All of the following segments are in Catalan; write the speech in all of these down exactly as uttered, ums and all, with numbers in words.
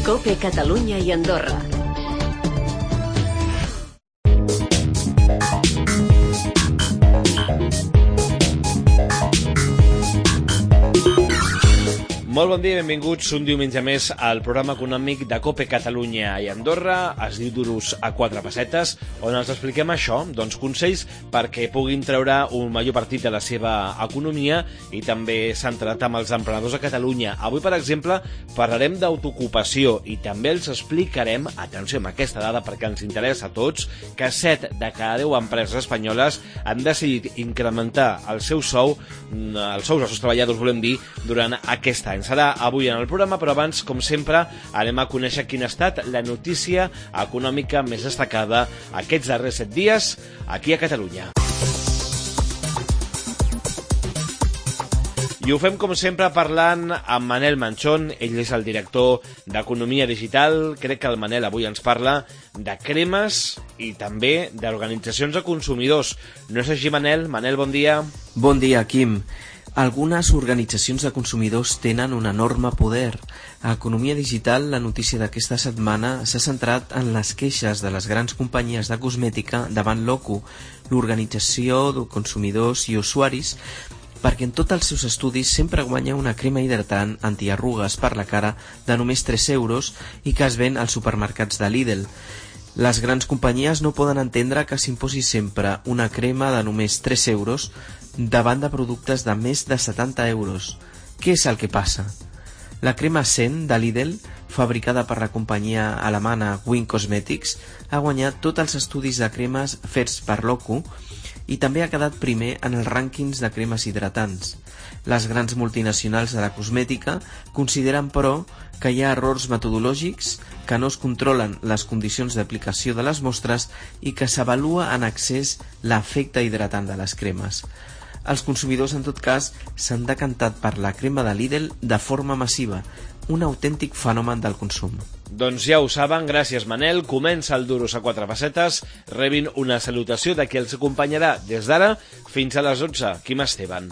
COPE Catalunya i Andorra. Molt bon dia i benvinguts un diumenge més al programa econòmic de COPE Catalunya i Andorra. Es diu Duros a quatre pessetes, on els expliquem això, doncs consells perquè puguin treure un major partit de la seva economia i també centrat amb els emprenedors a Catalunya. Avui, per exemple, parlarem d'autoocupació i també els explicarem, atenció amb aquesta dada perquè ens interessa a tots, que set de cada deu empreses espanyoles han decidit incrementar el seu sou, els sous dels seus treballadors, volem dir, durant aquest any. Serà avui en el programa, però abans, com sempre, anem a conèixer quina ha estat la notícia econòmica més destacada aquests darrers set dies aquí a Catalunya. I ho fem, com sempre, parlant amb Manel Manchón. Ell és el director d'Economia Digital. Crec que el Manel avui ens parla de cremes i també d'organitzacions de consumidors. No és així, Manel? Manel, bon dia. Bon dia, Quim. Algunes organitzacions de consumidors tenen un enorme poder. A Economia Digital, la notícia d'aquesta setmana s'ha centrat en les queixes de les grans companyies de cosmètica davant l'O C U, l'Organització de Consumidors i Usuaris, perquè en tots els seus estudis sempre guanya una crema hidratant antiarrugues per la cara de només tres euros i que es ven als supermercats de Lidl. Les grans companyies no poden entendre que s'imposi sempre una crema de només tres euros davant de productes de més de setanta euros. Què és el que passa? La crema Sen de Lidl, fabricada per la companyia alemana Wing Cosmetics, ha guanyat tots els estudis de cremes fets per l'O C U i també ha quedat primer en els rànquings de cremes hidratants. Les grans multinacionals de la cosmètica consideren, però, que hi ha errors metodològics, que no es controlen les condicions d'aplicació de les mostres i que s'avalua en excés l'efecte hidratant de les cremes. Els consumidors, en tot cas, s'han decantat per la crema de Lidl de forma massiva, un autèntic fenomen del consum. Doncs ja ho saben, gràcies Manel. Comença el Duros a quatre pessetes. Rebin una salutació de qui els acompanyarà des d'ara fins a les dotze. Quim Esteban.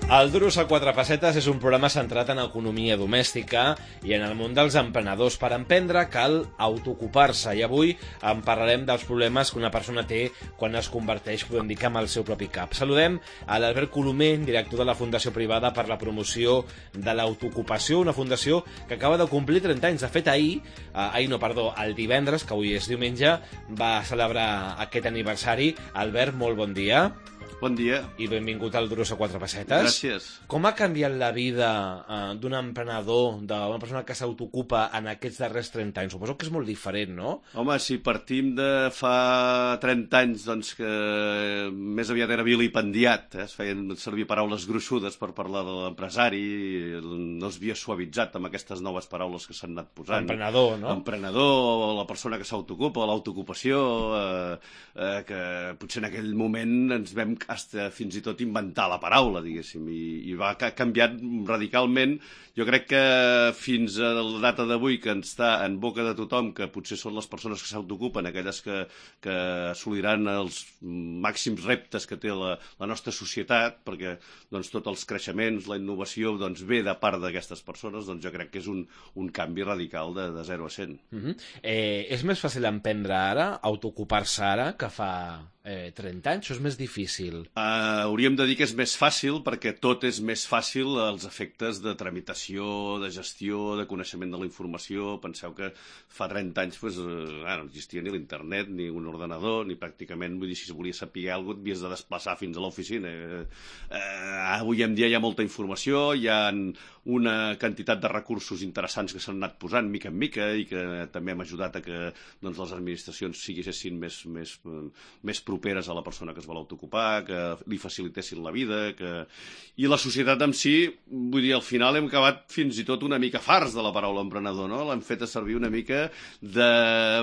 El Duros a quatre pessetes és un programa centrat en economia domèstica i en el món dels emprenedors. Per emprendre cal autoocupar-se i avui en parlarem dels problemes que una persona té quan es converteix, podem dir, amb el seu propi cap. Saludem a l'Albert Colomer, director de la Fundació Privada per la Promoció de l'Autoocupació, una fundació que acaba de complir trenta anys. De fet, ahir, eh, ahir no, perdó, el divendres, que avui és diumenge, va celebrar aquest aniversari. Albert, molt bon dia. Bon dia. I benvingut al Duros a quatre pessetes. Gràcies. Com ha canviat la vida eh, d'un emprenedor, d'una persona que s'autoocupa en aquests darrers trenta anys? Suposo que és molt diferent, no? Home, si partim de fa trenta anys, doncs que més aviat era vilipendiat, eh? Es feien servir paraules gruixudes per parlar de l'empresari, no es havia suavitzat amb aquestes noves paraules que s'han anat posant. Emprenedor, no? Emprenedor, la persona que s'autoocupa, l'autoocupació, eh, eh, que potser en aquell moment ens vam hasta fins i tot inventar la paraula, diguéssim, i, i va ha canviat radicalment. Jo crec que fins a la data d'avui, que està en boca de tothom, que potser són les persones que s'autoocupen, aquelles que, que assoliran els màxims reptes que té la, la nostra societat, perquè doncs, tots els creixements, la innovació, doncs, ve de part d'aquestes persones, doncs jo crec que és un, un canvi radical de, de zero a cent. Uh-huh. eh, és més fàcil emprendre ara, autoocupar-se ara, que fa eh, trenta anys, o és més difícil? Uh, hauríem de dir que és més fàcil perquè tot és més fàcil als efectes de tramitació, de gestió, de coneixement de la informació. Penseu que fa trenta anys pues, uh, no existia ni l'internet, ni un ordenador, ni pràcticament, vull dir, si volies saber alguna cosa, havies de desplaçar fins a l'oficina. Uh, uh, avui en dia hi ha molta informació, hi ha una quantitat de recursos interessants que s'han anat posant mica en mica i que també hem ajudat a que doncs, les administracions siguessin més, més, més properes a la persona que es vol autoocupar, que li facilitessin la vida, que... i la societat en si, vull dir, al final hem acabat fins i tot una mica farts de la paraula emprenedor, no? L'hem fet servir una mica de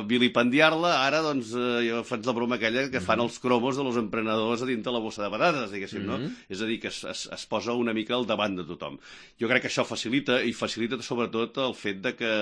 vilipendiar-la, ara doncs jo faig la broma aquella que fan els cromos de los emprenedors a dintre la bossa de patates, diguéssim, no? Mm-hmm. És a dir, que es, es, es posa una mica al davant de tothom. Jo crec que això facilita, i facilita sobretot el fet de que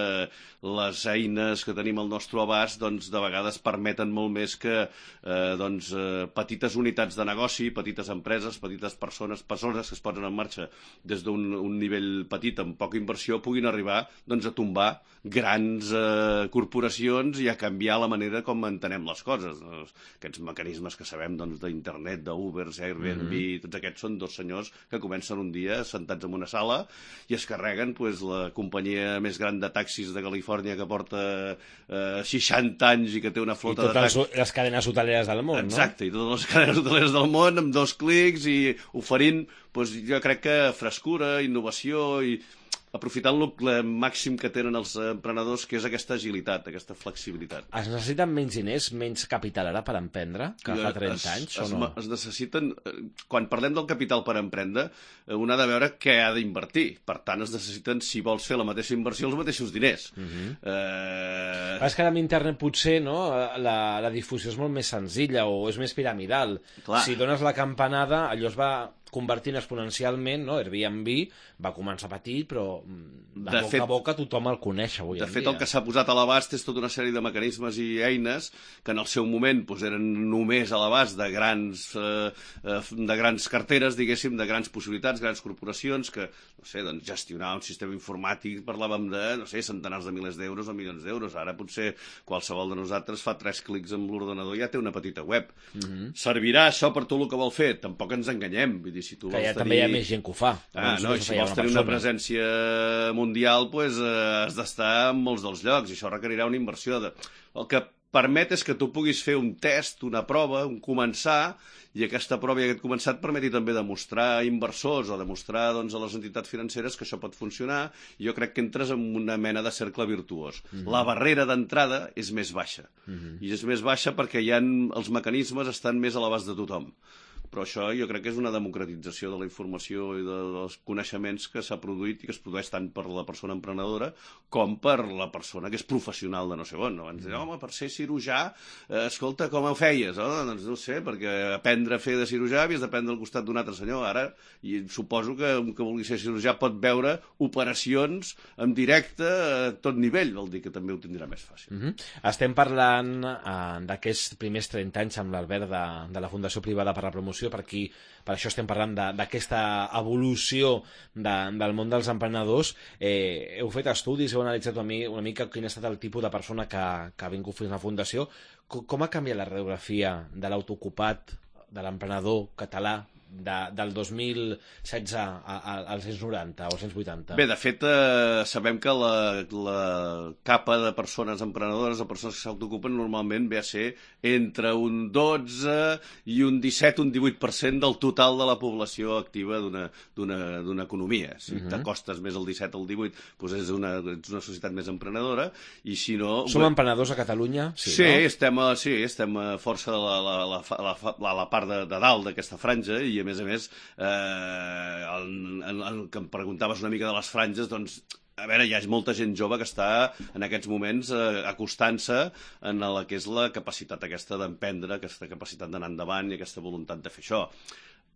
les eines que tenim al nostre abast doncs de vegades permeten molt més que eh, doncs doncs, eh, petites unitats de negoci, petites empreses, petites persones, persones que es posen en marxa des d'un un nivell petit, amb poca inversió, puguin arribar doncs, a tombar grans eh, corporacions i a canviar la manera com entenem les coses. Doncs, aquests mecanismes que sabem doncs, d'internet, d'Uber, Airbnb, mm-hmm. tots aquests són dos senyors que comencen un dia sentats en una sala i es carreguen pues, la companyia més gran de taxis de Califòrnia que porta eh, seixanta anys i que té una flota de taxis. I totes les cadenes hoteleres del món, Exacte, no? i totes les cadenes hoteleres del món amb dos clics i oferint, doncs, jo crec que frescura, innovació i aprofitant el màxim que tenen els emprenedors, que és aquesta agilitat, aquesta flexibilitat. Es necessiten menys diners, menys capital ara per emprendre, que fa trenta es, anys, es, o no? Es necessiten... Quan parlem del capital per emprendre, un ha de veure què ha d'invertir. Per tant, es necessiten, si vols fer la mateixa inversió, els mateixos diners. Uh-huh. eh... És que ara amb internet potser no, la, la difusió és molt més senzilla o és més piramidal. Clar. Si dones la campanada, allò es va convertint exponencialment, no? Airbnb va començar petit, però de, de boca fet, a boca tothom el coneix avui de en fet, dia. El que s'ha posat a l'abast és tota una sèrie de mecanismes i eines que en el seu moment doncs, eren només a l'abast de grans eh, de grans carteres, diguéssim, de grans possibilitats, grans corporacions, que, no sé, doncs, gestionar un sistema informàtic, parlàvem de, no sé, centenars de milers d'euros o milions d'euros. Ara potser qualsevol de nosaltres fa tres clics amb l'ordenador i ja té una petita web. Mm-hmm. Servirà això per tot el que vol fer? Tampoc ens enganyem. Vull dir, si tu que ja tenir... també hi ha més gent que ho fa. Ah, no, i si vols tenir una presència mundial, pues, eh, has d'estar en molts dels llocs, i això requerirà una inversió. De... El que permet és que tu puguis fer un test, una prova, un començar, i aquesta prova i aquest començar et permeti també demostrar a inversors o demostrar doncs, a les entitats financeres que això pot funcionar, i jo crec que entres en una mena de cercle virtuós. Mm-hmm. La barrera d'entrada és més baixa, mm-hmm. i és més baixa perquè ja els mecanismes estan més a l'abast de tothom. Però això jo crec que és una democratització de la informació i de, dels coneixements que s'ha produït i que es produeix tant per la persona emprenedora com per la persona que és professional de no sé on. No? Ens diuen, home, per ser cirurgià, eh, escolta, com ho feies? Oh, doncs no sé, perquè aprendre a fer de cirurgià havies d'aprendre al costat d'un altre senyor. Ara, i suposo que un que vulgui ser cirurgià pot veure operacions en directe a tot nivell, vol dir que també ho tindrà més fàcil. Mm-hmm. Estem parlant eh, d'aquests primers trenta anys amb l'Albert de, de la Fundació Privada per la Promoció. Per aquí, per això estem parlant d'aquesta evolució de, del món dels emprenedors. Eh, heu fet estudis, heu analitzat una, una mica quin ha estat el tipus de persona que, que ha vingut fins a la Fundació. Com, com ha canviat la radiografia de l'autoocupat, de l'emprenedor català, de, del dos mil setze a, a, als cent noranta o cent vuitanta? Bé, de fet, eh, sabem que la, la capa de persones emprenedores o persones que s'autoocupen normalment ve a ser entre un dotze i un disset, un divuit per cent del total de la població activa d'una economia. Si uh-huh. t'acostes més al disset o al divuit, doncs és una, ets una societat més emprenedora, i si no... Som emprenedors a Catalunya? Sí, sí, no? estem, a, sí, estem a força a la, la, la, la, la, la part de, de dalt d'aquesta franja, i a més a més, eh, el, el, el que em preguntaves una mica de les franges, doncs, a veure, hi ha molta gent jove que està en aquests moments eh, acostant-se en la que és la capacitat aquesta d'emprendre, aquesta capacitat d'anar endavant i aquesta voluntat de fer això.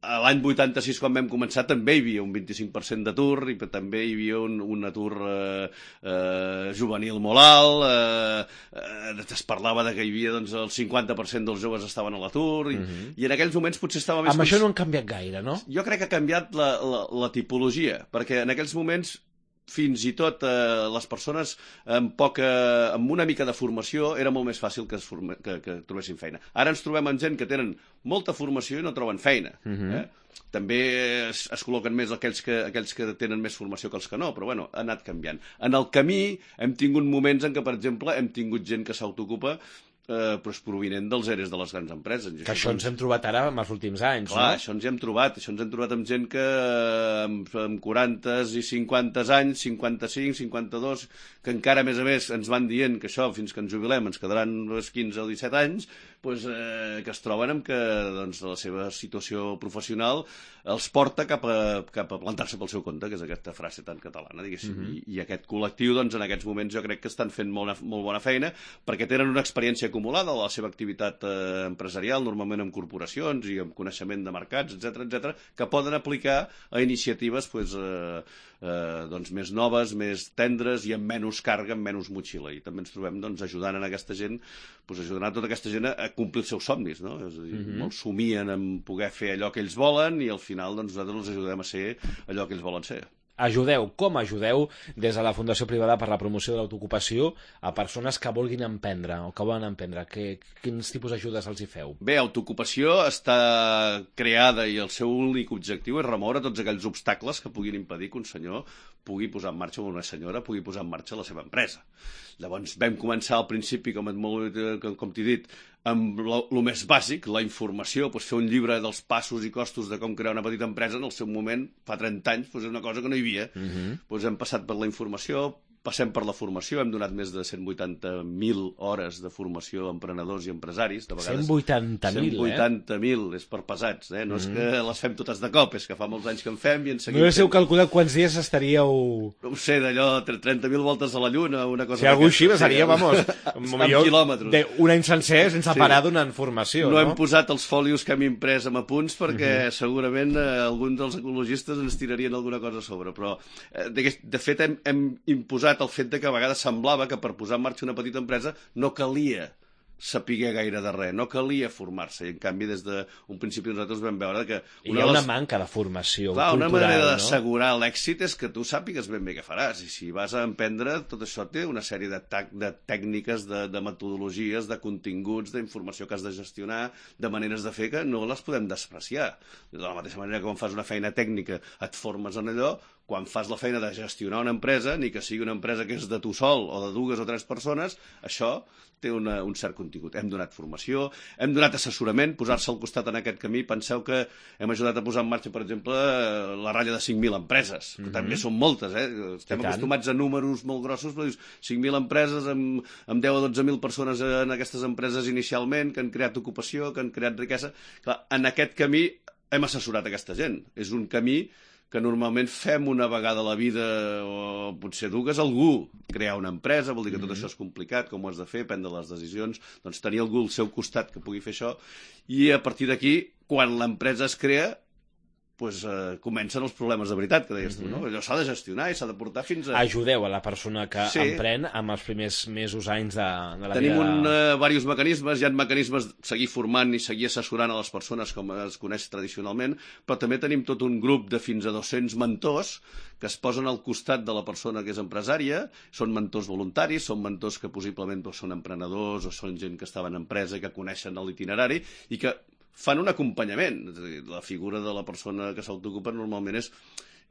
L'any vuitanta-sis, quan vam començar, també hi havia un vint-i-cinc per cent d'atur, i també hi havia un, un atur eh, eh, juvenil molt alt, eh, eh, es parlava de que hi havia doncs, el cinquanta per cent dels joves estaven a l'atur, i, uh-huh. i en aquells moments potser estava més... Amb això no han canviat gaire, no? Jo crec que ha canviat la, la, la tipologia, perquè en aquells moments fins i tot eh, les persones amb, poca, amb una mica de formació era molt més fàcil que, es forme, que, que trobessin feina. Ara ens trobem amb gent que tenen molta formació i no troben feina. Uh-huh. eh? També es, es col·loquen més aquells que, aquells que tenen més formació que els que no, però bueno, ha anat canviant. En el camí hem tingut moments en què, per exemple, hem tingut gent que s'autoocupa Eh, però és provinent dels eres de les grans empreses. Que això ens hem trobat ara en els últims anys, clar, no? això ens hem trobat. Això ens hem trobat amb gent que amb, amb quaranta i cinquanta anys, cinquanta-cinc, cinquanta-dos, que encara, a més a més, ens van dient que això, fins que ens jubilem, ens quedaran uns quinze o disset anys, doncs, eh, que es troben amb que doncs, la seva situació professional els porta cap a, cap a plantar-se pel seu compte, que és aquesta frase tan catalana, diguéssim. Mm-hmm. I, I aquest col·lectiu, doncs, en aquests moments, jo crec que estan fent molt, molt bona feina, perquè tenen una experiència acumulada de la seva activitat eh, empresarial, normalment amb corporacions i amb coneixement de mercats, etcètera, etcètera, que poden aplicar a iniciatives pues, eh, eh, doncs més noves, més tendres i amb menys càrrega, amb menys motxilla. I també ens trobem doncs, ajudant a aquesta gent, doncs, ajudant a tota aquesta gent a complir els seus somnis, no? És a dir, mm-hmm. molts somien en poder fer allò que ells volen i al final doncs, nosaltres els ajudem a ser allò que ells volen ser. Ajudeu, com ajudeu des de la Fundació Privada per la Promoció de l'Autoocupació a persones que vulguin emprendre o que volen emprendre? Que, quins tipus d'ajudes els hi feu? Bé, Autoocupació està creada i el seu únic objectiu és remoure tots aquells obstacles que puguin impedir que un senyor pugui posar en marxa o una senyora pugui posar en marxa la seva empresa. Llavors vam començar al principi, com, molt, com t'he dit, amb el més bàsic, la informació, doncs fer un llibre dels passos i costos de com crear una petita empresa en el seu moment, fa trenta anys, doncs és una cosa que no hi havia. Uh-huh. Doncs hem passat per la informació, passem per la formació, hem donat més de cent vuitanta mil hores de formació a emprenedors i empresaris. De vegades, cent vuitanta mil, cent vuitanta mil, eh? És per pesats, eh? No mm. és que les fem totes de cop, és que fa molts anys que en fem i en seguim. No sé si heu calculat quants dies estaríeu... No ho sé, d'allò, trenta mil voltes a la Lluna, una cosa... Si algú així seria, vamos, amb quilòmetres. Un any sencer sense sí. parar donant formació, no? No hem posat els fòlios que hem imprès amb apunts perquè uh -huh. segurament eh, alguns dels ecologistes ens tirarien alguna cosa a sobre, però eh, de, de fet hem, hem imposat el fet de que a vegades semblava que per posar en marxa una petita empresa no calia saber gaire de res, no calia formar-se, i en canvi des d'un principi nosaltres vam veure que... Una Hi ha una les... manca de formació Clar, cultural, una manera no? d'assegurar l'èxit és que tu sàpigues ben bé què faràs, i si vas a emprendre, tot això té una sèrie de, de tècniques, de, de metodologies, de continguts, d'informació que has de gestionar, de maneres de fer que no les podem despreciar. De la mateixa manera que quan fas una feina tècnica et formes en allò, quan fas la feina de gestionar una empresa, ni que sigui una empresa que és de tu sol o de dues o tres persones, això té una, un cert contingut. Hem donat formació, hem donat assessorament, posar-se al costat en aquest camí. Penseu que hem ajudat a posar en marxa, per exemple, la ratlla de cinc mil empreses, que mm-hmm. també són moltes, eh? Estem acostumats a números molt grossos, però dius, cinc mil empreses amb, amb deu o dotze mil persones en aquestes empreses inicialment, que han creat ocupació, que han creat riquesa. Clar, en aquest camí hem assessorat aquesta gent. És un camí que normalment fem una vegada a la vida, o potser dues, algú crear una empresa, vol dir que tot mm-hmm. això és complicat, com ho has de fer, prendre les decisions, doncs tenir algú al seu costat que pugui fer això, i a partir d'aquí, quan l'empresa es crea, pues, eh, comencen els problemes de veritat, que deies tu, no? Allò s'ha de gestionar i s'ha de portar fins a... Ajudeu a la persona que sí. emprèn amb els primers mesos, anys de, de la Tenim vida... Tenim un, uh, diversos mecanismes, hi ha mecanismes de seguir formant i seguir assessorant a les persones com es coneix tradicionalment, però també tenim tot un grup de fins a dos-cents mentors que es posen al costat de la persona que és empresària, són mentors voluntaris, són mentors que possiblement doncs, són emprenedors o són gent que estava en empresa i que coneixen l'itinerari i que fan un acompanyament. És a dir, la figura de la persona que s'autoocupa normalment és,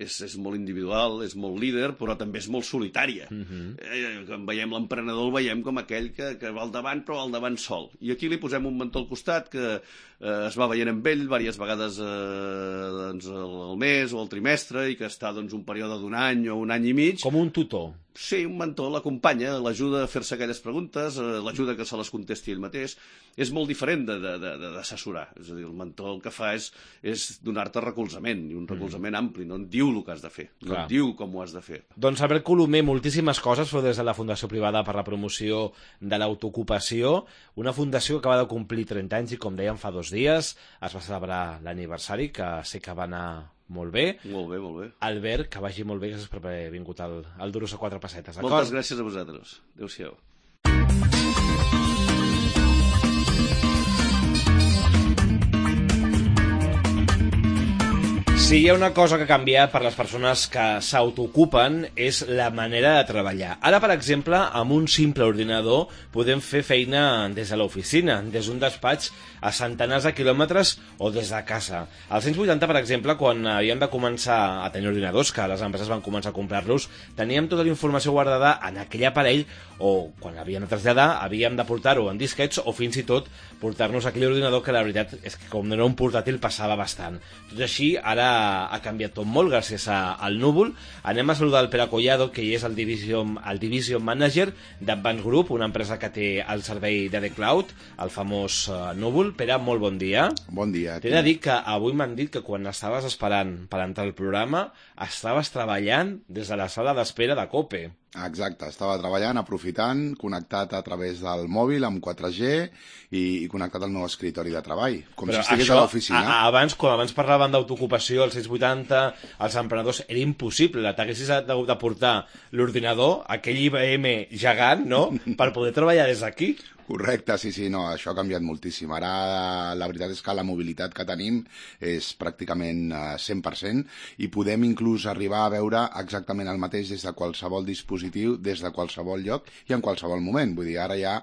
és, és molt individual, és molt líder, però també és molt solitària. Uh-huh. eh, quan veiem l'emprenedor, el veiem com aquell que, que va al davant, però va al davant sol. I aquí li posem un mentor al costat que eh, es va veient amb ell diverses vegades eh, doncs, al mes o al trimestre i que està doncs, un període d'un any o un any i mig. Com un tutor. Sí, un mentor l'acompanya, l'ajuda a fer-se aquelles preguntes, eh, l'ajuda que se les contesti ell mateix. És molt diferent d'assessorar. És a dir, el mentor el que fa és, és donar-te recolzament, i un recolzament mm. ampli, no et diu el que has de fer, no Clar. et diu com ho has de fer. Doncs Albert Colomer, moltíssimes coses feu des de la Fundació Privada per la Promoció de l'Autoocupació, una fundació que acaba de complir trenta anys i, com dèiem, fa dos dies es va celebrar l'aniversari, que sé que va anar molt bé. Molt bé, molt bé. Albert, que vagi molt bé, gràcies per haver vingut al, al Duros a quatre pessetes. Moltes gràcies a vosaltres. Adéu-siau. Si hi ha una cosa que ha canviat per les persones que s'autoocupen és la manera de treballar. Ara, per exemple, amb un simple ordinador podem fer feina des de l'oficina, des d'un despatx a centenars de quilòmetres o des de casa. Als anys vuitanta, per exemple, quan havíem de començar a tenir ordinadors, que les empreses van començar a comprar-los, teníem tota la informació guardada en aquell aparell, o quan havíem de traslladar havíem de portar-ho en disquets o fins i tot portar-nos aquell ordinador, que la veritat és que com no era un portàtil passava bastant. Tot així, ara ha canviat tot molt gràcies a, al Núvol. Anem a saludar el Pere Collado, que és el Division, el Division Manager d'Advance Group, una empresa que té el servei de The Cloud, el famós uh, Núvol. Pere, molt bon dia. Bon dia. T'he de dir que avui m'han dit que quan estaves esperant per entrar al programa estaves treballant des de la sala d'espera de COPE. Exacte, estava treballant, aprofitant, connectat a través del mòbil amb quatre G i, i connectat al meu escritori de treball, com Però si estigués això, a l'oficina. a- Abans, quan abans parlaven d'autoocupació, els sis vuitanta, els emprenedors, era impossible. T'haguessis hagut de portar l'ordinador, aquell I B M gegant, no?, per poder treballar des d'aquí. Correcte, sí, sí, no, això ha canviat moltíssim. Ara la veritat és que la mobilitat que tenim és pràcticament eh, cent per cent i podem inclús arribar a veure exactament el mateix des de qualsevol dispositiu, des de qualsevol lloc i en qualsevol moment. Vull dir, ara ja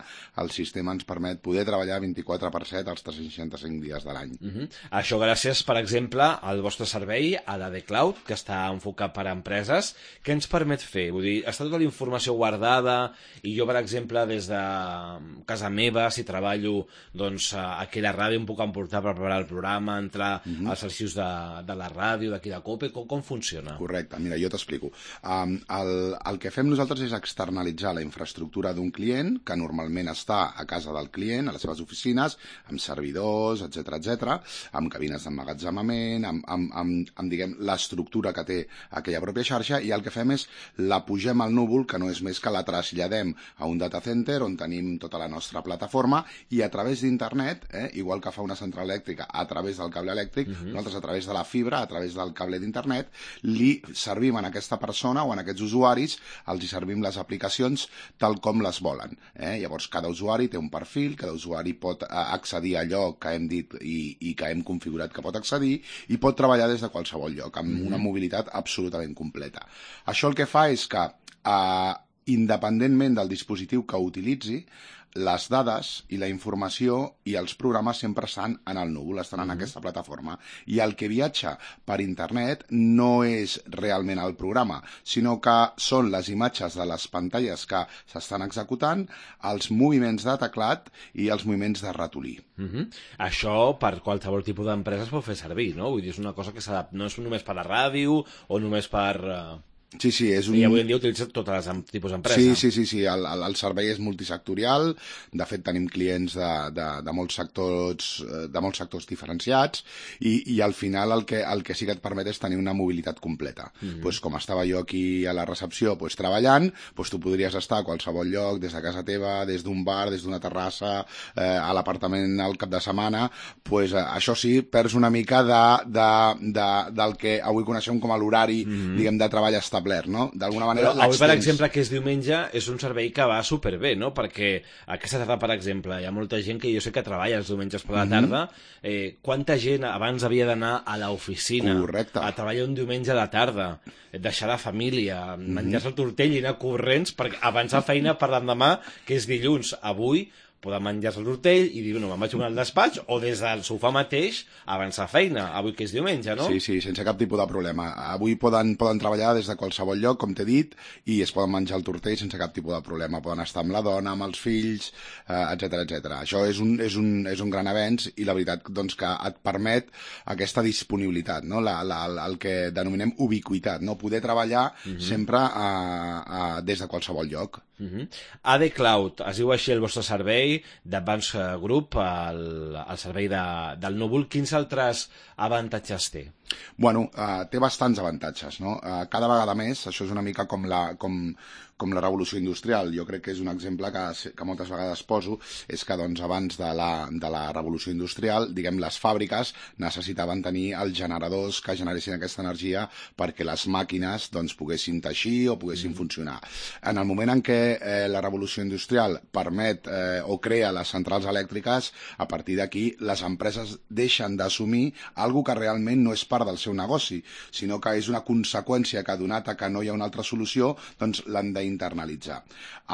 el sistema ens permet poder treballar vint-i-quatre per set els tres cents seixanta-cinc dies de l'any. Uh -huh. Això gràcies, per exemple, al vostre servei, a la de Cloud, que està enfocat per a empreses. Què ens permet fer? Vull dir, està tota la informació guardada i jo, per exemple, des de casa meva, si treballo doncs, aquí a la ràdio, em puc emportar per preparar el programa, entrar uh -huh. als arxius de, de la ràdio, d'aquí de COPE, com, com funciona? Correcte, mira, jo t'explico. Um, el, el que fem nosaltres és externalitzar la infraestructura d'un client, que normalment està a casa del client, a les seves oficines, amb servidors, etcètera, etcètera, amb cabines d'emmagatzemament, amb, amb, amb, amb diguem, l'estructura que té aquella pròpia xarxa, i el que fem és la pugem al núvol, que no és més que la traslladem a un data center on tenim tota la nostra plataforma, i a través d'internet, eh, igual que fa una central elèctrica a través del cable elèctric, uh-huh. nosaltres a través de la fibra, a través del cable d'internet, li servim a aquesta persona o a aquests usuaris, els hi servim les aplicacions tal com les volen. Eh? Llavors, cada usuari té un perfil, cada usuari pot accedir a allò que hem dit i, i que hem configurat que pot accedir, i pot treballar des de qualsevol lloc, amb uh-huh. una mobilitat absolutament completa. Això el que fa és que, eh, independentment del dispositiu que utilitzi, les dades i la informació i els programes sempre estan en el núvol, estan en mm-hmm. aquesta plataforma. I el que viatja per internet no és realment el programa, sinó que són les imatges de les pantalles que s'estan executant, els moviments de teclat i els moviments de ratolí. Mm-hmm. Això per qualsevol tipus d'empresa es pot fer servir, no? Vull dir, és una cosa que s'adapta, no és només per la ràdio o només per... Uh... Sí, sí, és un... I avui en dia utilitza totes les tipus d'empresa. Sí, sí, sí, sí. El, el, el servei és multisectorial, de fet tenim clients de, de, de, molts sectors, de molts sectors diferenciats, i, i al final el que, el que sí que et permet és tenir una mobilitat completa. Mm-hmm. Pues, com estava jo aquí a la recepció pues, treballant, pues, tu podries estar a qualsevol lloc, des de casa teva, des d'un bar, des d'una terrassa, eh, a l'apartament al cap de setmana, pues, eh, això sí, perds una mica de, de, de, del que avui coneixem com a l'horari, mm-hmm. diguem, de treball establert. No? D'alguna manera avui, per exemple, que és diumenge, és un servei que va superbé, no? Perquè aquesta tarda, per exemple, hi ha molta gent que jo sé que treballa els diumenges per la tarda. Mm-hmm. eh, quanta gent abans havia d'anar a l'oficina a treballar un diumenge a la tarda, deixar la família, mm-hmm. menjar-se el tortell i anar corrents per avançar feina per l'endemà, que és dilluns. Avui poden menjar-se el tortell i dir, bueno, me'n vaig al despatx, o des del sofà mateix avançar feina, avui que és diumenge, no? Sí, sí, sense cap tipus de problema. Avui poden, poden treballar des de qualsevol lloc, com t'he dit, i es poden menjar el tortell sense cap tipus de problema. Poden estar amb la dona, amb els fills, eh, etcètera, etcètera. Això és un, és, un, és un gran avenç i la veritat doncs, que et permet aquesta disponibilitat, no? la, la, el que denominem ubiquitat, no? Poder treballar uh-huh. sempre a, a, des de qualsevol lloc. Uh-huh. A D Cloud, es diu així el vostre servei d'Advanced Group, el, el servei de, del núvol. Quins altres avantatges té? Bueno, uh, té bastants avantatges, no? Uh, cada vegada més, això és una mica com la, com, com la revolució industrial. Jo crec que és un exemple que, que moltes vegades poso, és que doncs, abans de la, de la revolució industrial, diguem, les fàbriques necessitaven tenir els generadors que generessin aquesta energia perquè les màquines doncs, poguessin teixir o poguessin mm. funcionar. En el moment en què eh, la revolució industrial permet eh, o crea les centrals elèctriques, a partir d'aquí les empreses deixen d'assumir alguna que realment no és part del seu negoci, sinó que és una conseqüència que, donat a que no hi ha una altra solució, doncs l'han d'internalitzar.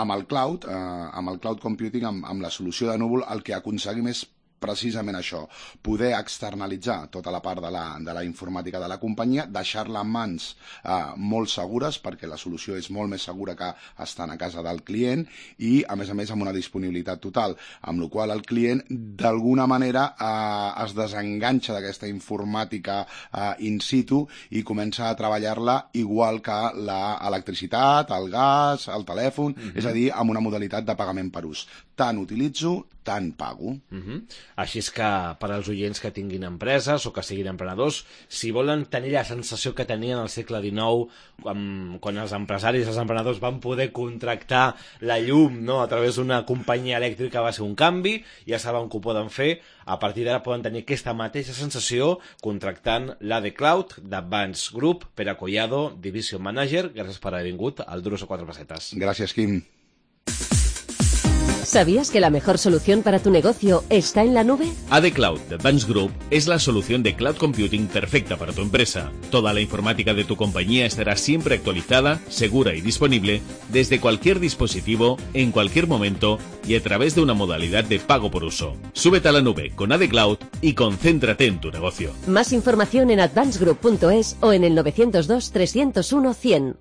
Amb el cloud, eh, amb el cloud computing, amb, amb la solució de núvol, el que aconseguim és precisament això, poder externalitzar tota la part de la, de la informàtica de la companyia, deixar-la en mans eh, molt segures, perquè la solució és molt més segura que estant a casa del client, i a més a més amb una disponibilitat total, amb la qual el client d'alguna manera eh, es desenganxa d'aquesta informàtica eh, in situ i comença a treballar-la igual que l'electricitat, el gas, el telèfon, mm-hmm. és a dir, amb una modalitat de pagament per ús. tant utilitzo, tant pago. Uh-huh. Així és que per als oients que tinguin empreses o que siguin emprenedors, si volen tenir la sensació que tenien al segle dinou, quan, quan els empresaris i els emprenedors van poder contractar la llum, no?, a través d'una companyia elèctrica, va ser un canvi, ja saben que ho poden fer, a partir d'ara poden tenir aquesta mateixa sensació contractant l'A D Cloud d'Advance Group, Pere Collado, Division Manager. Gràcies per haver vingut al Duros a quatre pessetes. Gràcies, Quim. ¿Sabías que la mejor solución para tu negocio está en la nube? A D Cloud de Advance Group es la solución de cloud computing perfecta para tu empresa. Toda la informática de tu compañía estará siempre actualizada, segura y disponible desde cualquier dispositivo, en cualquier momento y a través de una modalidad de pago por uso. Súbete a la nube con A D Cloud y concéntrate en tu negocio. Más información en advance group punto es o en el nueve cero dos, tres cero uno, cien.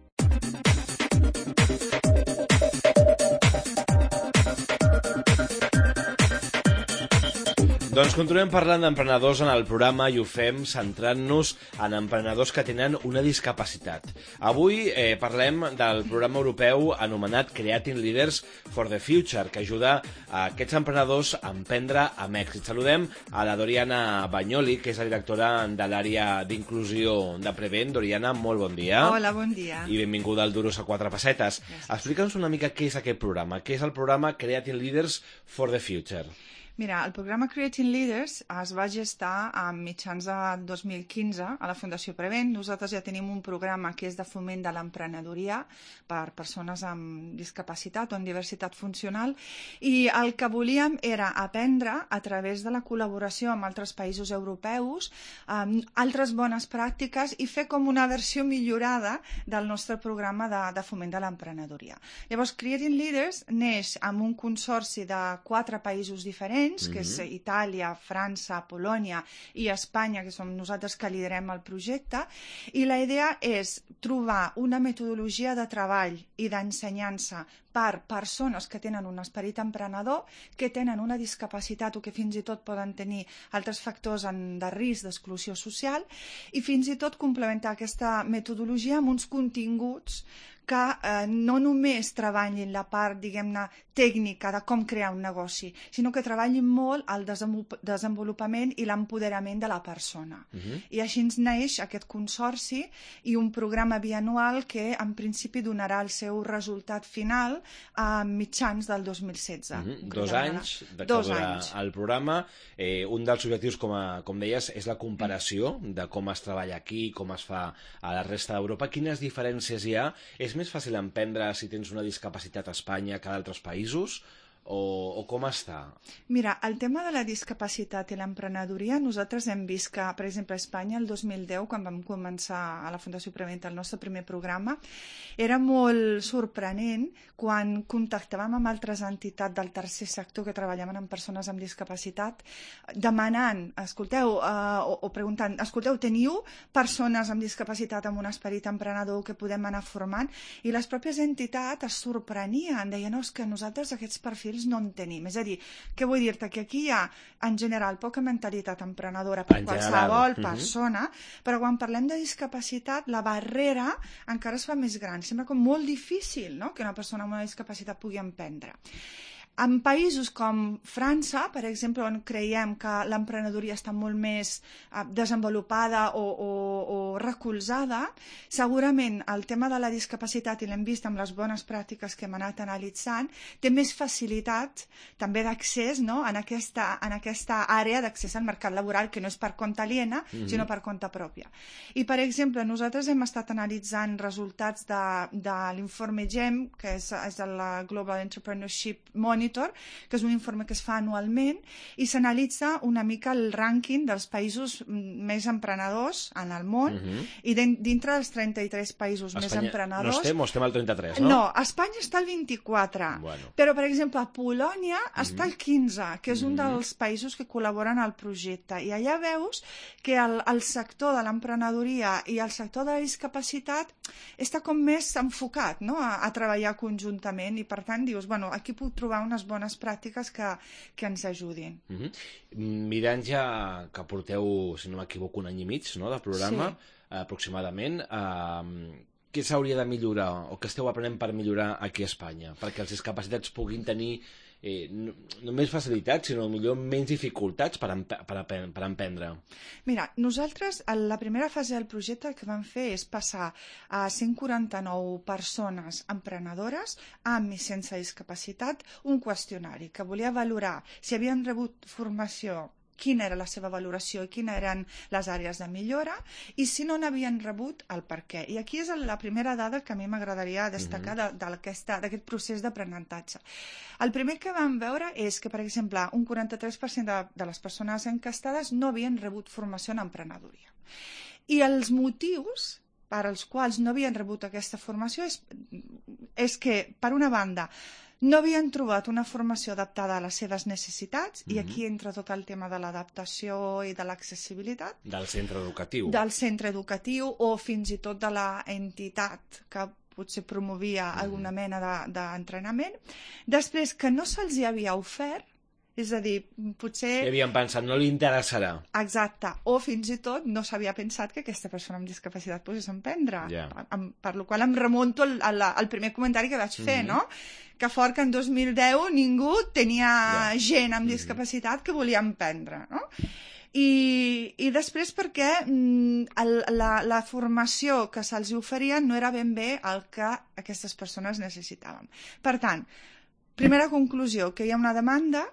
Doncs continuem parlant d'emprenedors en el programa i ho fem centrant-nos en emprenedors que tenen una discapacitat. Avui eh, parlem del programa europeu anomenat Creating Leaders for the Future, que ajuda a aquests emprenedors a emprendre amb èxit. Saludem a la Doriana Bagnoli, que és la directora de l'àrea d'inclusió de Prevent. Doriana, molt bon dia. Hola, bon dia. I benvinguda al Duros a quatre pessetes. Explica'ns una mica què és aquest programa. Què és el programa Creating Leaders for the Future? Mira, el programa Creating Leaders es va gestar a mitjans de dos mil quinze a la Fundació Prevent. Nosaltres ja tenim un programa que és de foment de l'emprenedoria per persones amb discapacitat o amb diversitat funcional, i el que volíem era aprendre a través de la col·laboració amb altres països europeus, um, altres bones pràctiques, i fer com una versió millorada del nostre programa de, de foment de l'emprenedoria. Llavors, Creating Leaders neix amb un consorci de quatre països diferents, que és Itàlia, França, Polònia i Espanya, que som nosaltres que liderem el projecte, i la idea és trobar una metodologia de treball i d'ensenyança per persones que tenen un esperit emprenedor, que tenen una discapacitat o que fins i tot poden tenir altres factors de risc d'exclusió social, i fins i tot complementar aquesta metodologia amb uns continguts que eh, no només treballin la part, diguem-ne, tècnica de com crear un negoci, sinó que treballin molt el desenvolupament i l'empoderament de la persona. Uh-huh. I així ens neix aquest consorci i un programa bianual que en principi donarà el seu resultat final a mitjans del dos mil setze. Uh-huh. Dos anys de que durarà el programa. Eh, un dels objectius, com, a, com deies, és la comparació de com es treballa aquí, com es fa a la resta d'Europa. Quines diferències hi ha? És més fàcil emprendre si tens una discapacitat a Espanya que a d'altres països? O, o com està? Mira, el tema de la discapacitat i l'emprenedoria, nosaltres hem vist que, per exemple, a Espanya, el dos mil deu, quan vam començar a la Fundació Prevent el nostre primer programa, era molt sorprenent quan contactàvem amb altres entitats del tercer sector que treballaven amb persones amb discapacitat, demanant, escolteu, uh, o, o preguntant, escolteu, teniu persones amb discapacitat amb un esperit emprenedor que podem anar formant? I les pròpies entitats es sorprenien, deien, no, és que nosaltres aquests perfils no en tenim. És a dir, què vull dir-te? Que aquí hi ha, en general, poca mentalitat emprenedora per en qualsevol general. persona, uh-huh. però quan parlem de discapacitat, la barrera encara es fa més gran. Sembla com molt difícil, no?, que una persona amb una discapacitat pugui emprendre. En països com França, per exemple, on creiem que l'emprenedoria està molt més eh, desenvolupada o, o, o recolzada, segurament el tema de la discapacitat, i l'hem vist amb les bones pràctiques que hem anat analitzant, té més facilitat també d'accés, no?, en, aquesta, en aquesta àrea d'accés al mercat laboral, que no és per compte aliena, mm-hmm. sinó per compte pròpia. I, per exemple, nosaltres hem estat analitzant resultats de, de l'informe GEM, que és, és el Global Entrepreneurship Monitor, que és un informe que es fa anualment, i s'analitza una mica el rànquing dels països més emprenedors en el món, uh-huh. i dintre dels trenta-tres països Espanya, més emprenedors... No estem o estem al trenta-tres, no? No, Espanya està al vint-i-quatre, bueno. però, per exemple, Polònia uh-huh. està al quinze, que és uh-huh. un dels països que col·laboren al projecte, i allà veus que el, el sector de l'emprenedoria i el sector de la discapacitat està com més enfocat, no?, a, a treballar conjuntament, i per tant dius, bueno, aquí puc trobar unes bones pràctiques que, que ens ajudin. Uh-huh. Mirant ja que porteu, si no m'equivoco, un any i mig, no?, de programa, sí. aproximadament, eh, què s'hauria de millorar o què esteu aprenent per millorar aquí a Espanya? Perquè els discapacitats puguin tenir eh, no, no més facilitats, sinó millor menys dificultats per, emp per, per emprendre. Mira, nosaltres, a la primera fase del projecte, el que vam fer és passar a cent quaranta-nou persones emprenedores amb i sense discapacitat un qüestionari que volia valorar si havien rebut formació, quina era la seva valoració i quines eren les àrees de millora, i si no n'havien rebut, el per què. I aquí és la primera dada que a mi m'agradaria destacar mm-hmm. d'aquest procés d'aprenentatge. El primer que vam veure és que, per exemple, un quaranta-tres per cent de, de les persones encastades no havien rebut formació en emprenedoria. I els motius per als quals no havien rebut aquesta formació és, és que, per una banda, no havien trobat una formació adaptada a les seves necessitats, mm-hmm. i aquí entra tot el tema de l'adaptació i de l'accessibilitat. Del centre educatiu. Del centre educatiu o fins i tot de l'entitat que potser promovia mm-hmm. alguna mena d'entrenament. De, Després, que no se'ls hi havia ofert, és a dir, potser... I havien pensat, no li interessarà. Exacte. O fins i tot no s'havia pensat que aquesta persona amb discapacitat pogués emprendre. Yeah. Per, per la qual em remonto al, al, al primer comentari que vaig fer, mm-hmm. no? Que fort que en dos mil deu ningú tenia yeah. gent amb discapacitat que volia emprendre, no? I, i després perquè el, la, la formació que se'ls oferia no era ben bé el que aquestes persones necessitaven. Per tant, primera conclusió, que hi ha una demanda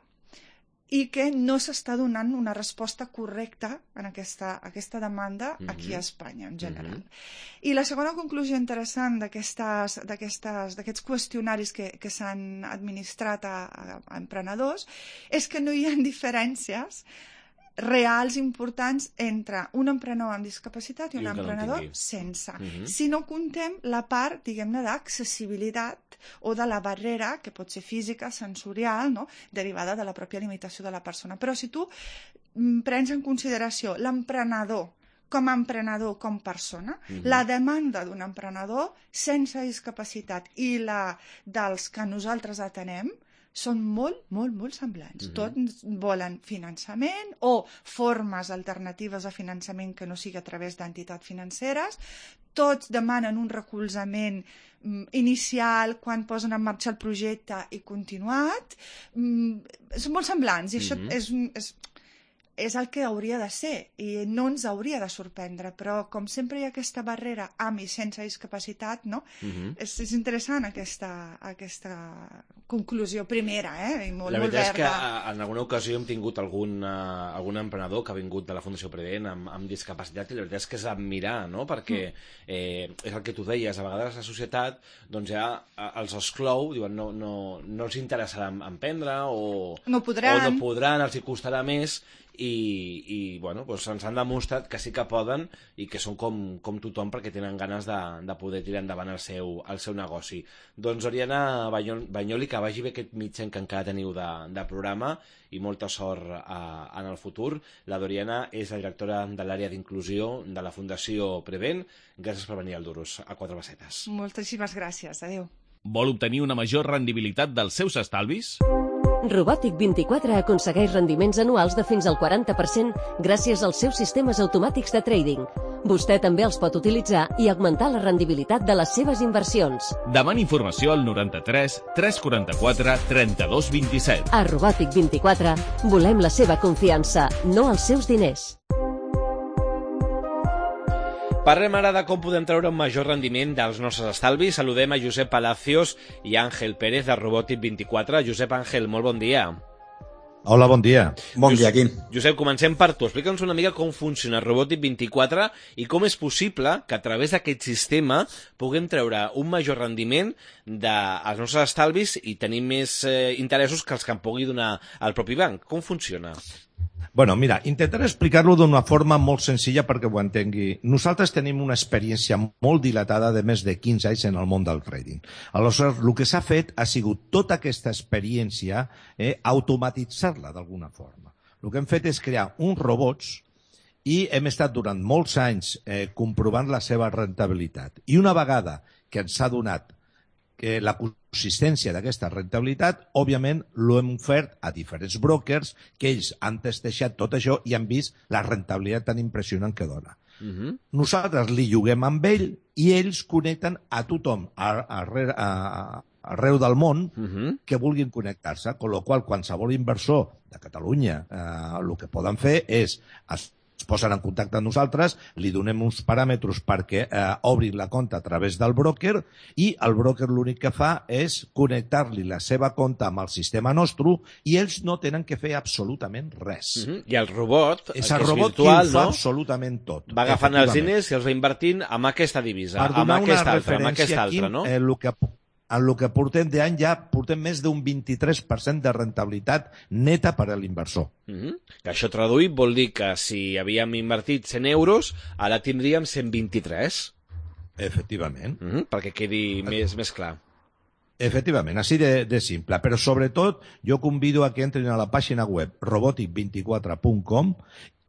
i que no s'està donant una resposta correcta en aquesta, aquesta demanda mm-hmm. aquí a Espanya, en general. Mm-hmm. I la segona conclusió interessant d'aquests qüestionaris que, que s'han administrat a, a emprenedors és que no hi ha diferències reals importants entre un emprenedor amb discapacitat i un, I un emprenedor no sense. Mm-hmm. Si no contem la part, diguem-ne, d'accessibilitat o de la barrera, que pot ser física, sensorial, no? Derivada de la pròpia limitació de la persona. Però si tu prens en consideració l'emprenedor com a emprenedor, com persona, mm-hmm. la demanda d'un emprenedor sense discapacitat i la dels que nosaltres atenem són molt, molt, molt semblants. Mm-hmm. Tots volen finançament o formes alternatives de finançament que no sigui a través d'entitats financeres. Tots demanen un recolzament mm, inicial quan posen en marxa el projecte i continuat. Mm, són molt semblants i mm-hmm. això és, és, és el que hauria de ser i no ens hauria de sorprendre, però com sempre hi ha aquesta barrera amb i sense discapacitat, no? Mm-hmm. és, és interessant aquesta, aquesta conclusió primera, eh? I molt, la veritat molt és que en alguna ocasió hem tingut algun, uh, algun emprenedor que ha vingut de la Fundació Prevent amb, amb discapacitat i la veritat és que és admirar, no? Perquè eh, és el que tu deies, a vegades la societat doncs ja els exclou, diuen no, no, no els interessarà emprendre o no podran, o no podran, els hi costarà més. I, i bueno, doncs ens han demostrat que sí que poden i que són com, com tothom perquè tenen ganes de, de poder tirar endavant el seu, el seu negoci. Doncs Oriana Bagnoli, que vagi bé aquest mitjà que encara teniu de, de programa i molta sort a, en el futur. La Doriana és la directora de l'àrea d'inclusió de la Fundació Prevent. Gràcies per venir al Duros, a Quatre Bassetes. Moltíssimes gràcies, adéu. Vol obtenir una major rendibilitat dels seus estalvis? Robòtic vint-i-quatre aconsegueix rendiments anuals de fins al quaranta per cent gràcies als seus sistemes automàtics de trading. Vostè també els pot utilitzar i augmentar la rendibilitat de les seves inversions. Demani informació al noranta-tres tres quaranta-quatre trenta-dos vint-i-set. A Robòtic vint-i-quatre volem la seva confiança, no els seus diners. Parlem ara de com podem treure un major rendiment dels nostres estalvis. Saludem a Josep Palacios i Àngel Pérez de Robòtic vint-i-quatre. Josep, Àngel, molt bon dia. Hola, bon dia. Bon Josep, dia, Quim. Josep, comencem per tu. Explica'ns una mica com funciona Robòtic vint-i-quatre i com és possible que a través d'aquest sistema puguem treure un major rendiment dels nostres estalvis i tenir més eh, interessos que els que en pugui donar el propi banc. Com funciona? Bueno, mira, intentaré explicar-lo d'una forma molt senzilla perquè ho entengui. Nosaltres tenim una experiència molt dilatada de més de quinze anys en el món del trading. Aleshores, el que s'ha fet ha sigut tota aquesta experiència eh, automatitzar-la d'alguna forma. El que hem fet és crear uns robots i hem estat durant molts anys eh, comprovant la seva rentabilitat. I una vegada que ens ha donat que la consistència d'aquesta rentabilitat, òbviament, l'hem ofert a diferents brokers que ells han testejat tot això i han vist la rentabilitat tan impressionant que dona. Uh-huh. Nosaltres li lloguem amb ell i ells connecten a tothom a, a, a, a, arreu del món uh-huh. que vulguin connectar-se, amb la qual cosa qualsevol inversor de Catalunya eh, el que poden fer és es es posen en contacte amb nosaltres, li donem uns paràmetres perquè eh, obrin la compta a través del broker i el broker l'únic que fa és connectar-li la seva compta amb el sistema nostre i ells no tenen que fer absolutament res. Uh-huh. I el robot, és el el robot virtual, qui ho fa no? absolutament tot. Va agafant els diners i els va invertint amb aquesta divisa, per amb aquesta altra, amb aquesta altra, no? Eh, el que en el que portem d'any ja portem més d'un vint-i-tres per cent de rentabilitat neta per a l'inversor. Uh-huh. Que això traduït vol dir que si havíem invertit cent euros, ara tindríem cent vint-i-tres. Efectivament. Uh-huh. Perquè quedi més, més clar. Efectivament, així de, de simple. Però sobretot jo convido a que entrin a la pàgina web robotic vint-i-quatre punt com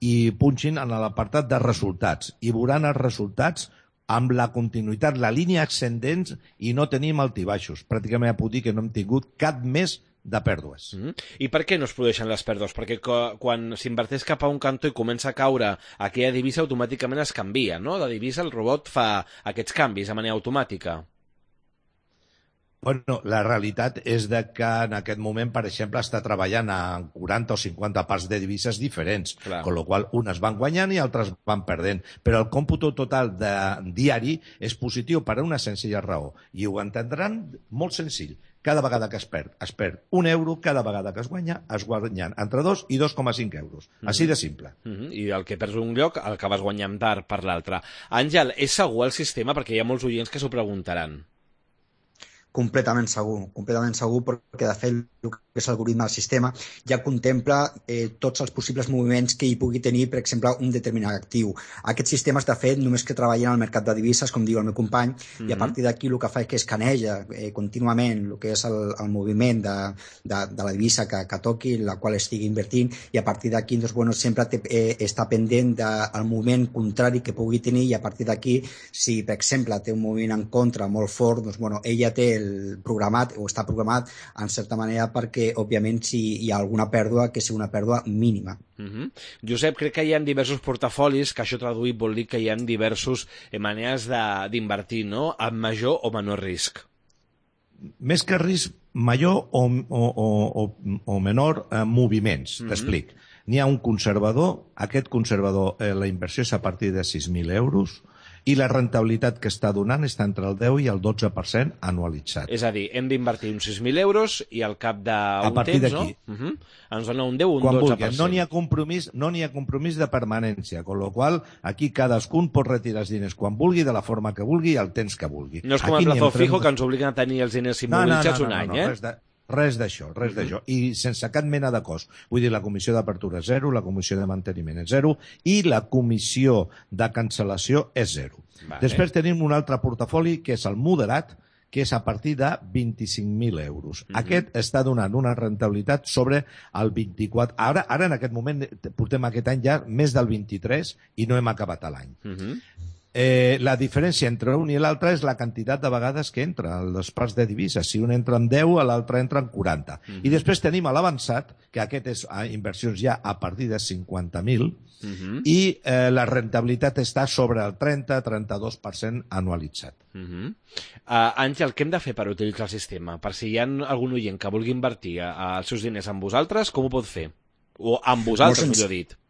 i punxin en l'apartat de resultats i veuran els resultats amb la continuïtat, la línia ascendent i no tenim altibaixos. Pràcticament puc dir que no hem tingut cap mes de pèrdues. Mm-hmm. I per què no es produeixen les pèrdues? Perquè quan s'inverteix cap a un cantó i comença a caure aquella divisa, automàticament es canvia, no? La divisa, el robot fa aquests canvis de manera automàtica. Bueno, la realitat és de que en aquest moment, per exemple, està treballant a quaranta o cinquanta parts de divises diferents, Clar. Con la qual unes van guanyant i altres van perdent. Però el còmput total de diari és positiu per una senzilla raó. I ho entendran molt senzill. Cada vegada que es perd, es perd un euro, cada vegada que es guanya, es guanyen entre dos i dos coma cinc euros. Mm-hmm. Així de simple. Mm-hmm. I el que perds un lloc, el que vas guanyant tard per l'altre. Àngel, és segur el sistema? Perquè hi ha molts oients que s'ho preguntaran. Completament segur, completament segur, perquè de fet el que és l'algoritme del sistema ja contempla eh, tots els possibles moviments que hi pugui tenir, per exemple, un determinat actiu. Aquests sistemes, de fet, només que treballen al mercat de divises, com diu el meu company, mm-hmm. i a partir d'aquí el que fa és que escaneja eh, contínuament el que és el, el moviment de, de, de la divisa que, que toqui, la qual estigui invertint, i a partir d'aquí doncs, bueno, sempre te, eh, està pendent del moviment contrari que pugui tenir, i a partir d'aquí, si per exemple té un moviment en contra molt fort, doncs, bueno, ella té el programat, o està programat en certa manera perquè òbviament si hi ha alguna pèrdua que sigui una pèrdua mínima. Uh-huh. Josep, crec que hi ha diversos portafolis, que això traduït vol dir que hi ha diversos eh, maneres d'invertir, no? Amb major o menor risc. Més que risc, major o, o, o, o menor eh, moviments. Uh-huh. T'explic. N'hi ha un conservador, aquest conservador, eh, la inversió és a partir de sis mil euros, i la rentabilitat que està donant està entre el deu i el dotze per cent anualitzat. És a dir, hem d'invertir uns sis mil euros i al cap d'un temps, no? Uh-huh. Ens dona un deu o un Quan dotze per cent. Vulguin. No n'hi ha compromís, no n'hi ha compromís de permanència, con lo qual aquí cadascun pot retirar els diners quan vulgui, de la forma que vulgui i el temps que vulgui. No és com el plazo fijo que ens obliguen a tenir els diners immobilitzats no, no, no, un any, no, no, eh? Res de... Res d'això, res uh-huh. d'això. I sense cap mena de cost. Vull dir, la comissió d'apertura és zero, la comissió de manteniment és zero i la comissió de cancel·lació és zero. Vale. Després tenim un altre portafoli que és el moderat, que és a partir de vint-i-cinc mil euros. Uh-huh. Aquest està donant una rentabilitat sobre el vint-i-quatre. Ara, ara en aquest moment portem aquest any ja més del vint-i-tres i no hem acabat l'any. Uh-huh. Eh, la diferència entre un i l'altre és la quantitat de vegades que entra, les parts de divises. Si un entra en deu, l'altre entra en quaranta. Uh-huh. I després tenim l'avançat, que aquest és a inversions ja a partir de cinquanta mil, uh-huh. i eh, la rentabilitat està sobre el trenta a trenta-dos per cent anualitzat. Uh-huh. uh, Àngel, què hem de fer per utilitzar el sistema? Per si hi ha algun oient que vulgui invertir uh, els seus diners amb vosaltres, com ho pot fer? O amb vosaltres, millor dit.